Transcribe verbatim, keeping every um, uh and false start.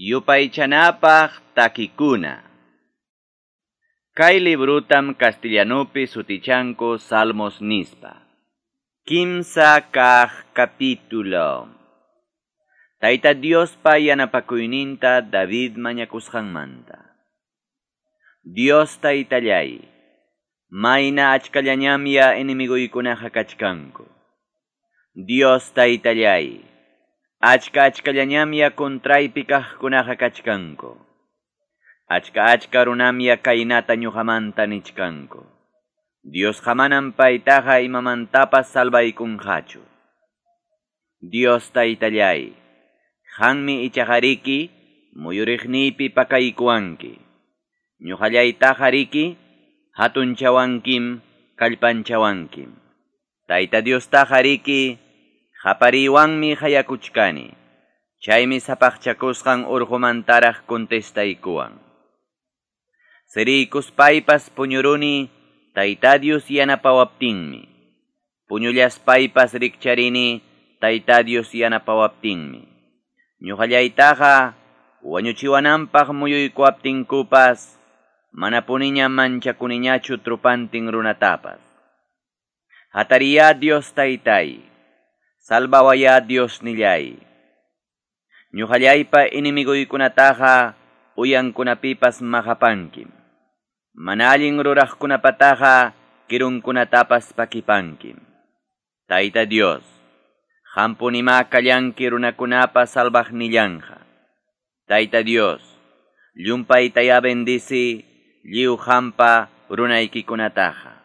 Yupaychanapaq takikuna. Kay librutam castellanupi sutichanku Salmos nispa. Kimsa kaq capítulo. Tayta Diospa yanapakuyninta David mañakusqanmanta. Dios taytallay, mayna achkallañamya enemiguykunaqa kachkanku. Dios taytallay, achka achkallañamya contraypi kaqkunaqa kachkanku. Achka achka runamya kaynata ñuqamanta nichkanku. Diosqa manam paytaqa imamantapas salvaykunqachu. Dios taytallay, qanmi ichaqariki muyuriqniypi pakaykuwanki. Ñuqallaytaqa riki hatunchawankim kallpanchawankim. Tayta Diostaqa riki qapariwanmi hayakuchkani. Chaymi sapaqchakusqan urqumantaraq contestaykuwan. Siriykuspaypas puñuruni Tayta Dios yanapawaptinmi. Puñullaspaypas rikcharini Tayta Dios yanapawaptinmi. Ñuqallaytaqa wañuchiwananpaq muyuykuwaptinkupas manapuniña manchakuniñachu trupantin runatapas. Hatariya Dios taytay, salvawaya Dios nillay. Ñuqallaypa enemiguykunataqa uyankunapipas maqapankim. Mana allin ruraqkunapataqa kirunkunatapas pakipankim. Tayta Dios, qampunimá kallanki runakunapa salvaqnillanqa. Tayta Dios, llumpaytayá bendici lliw qampa runaykikunataqa.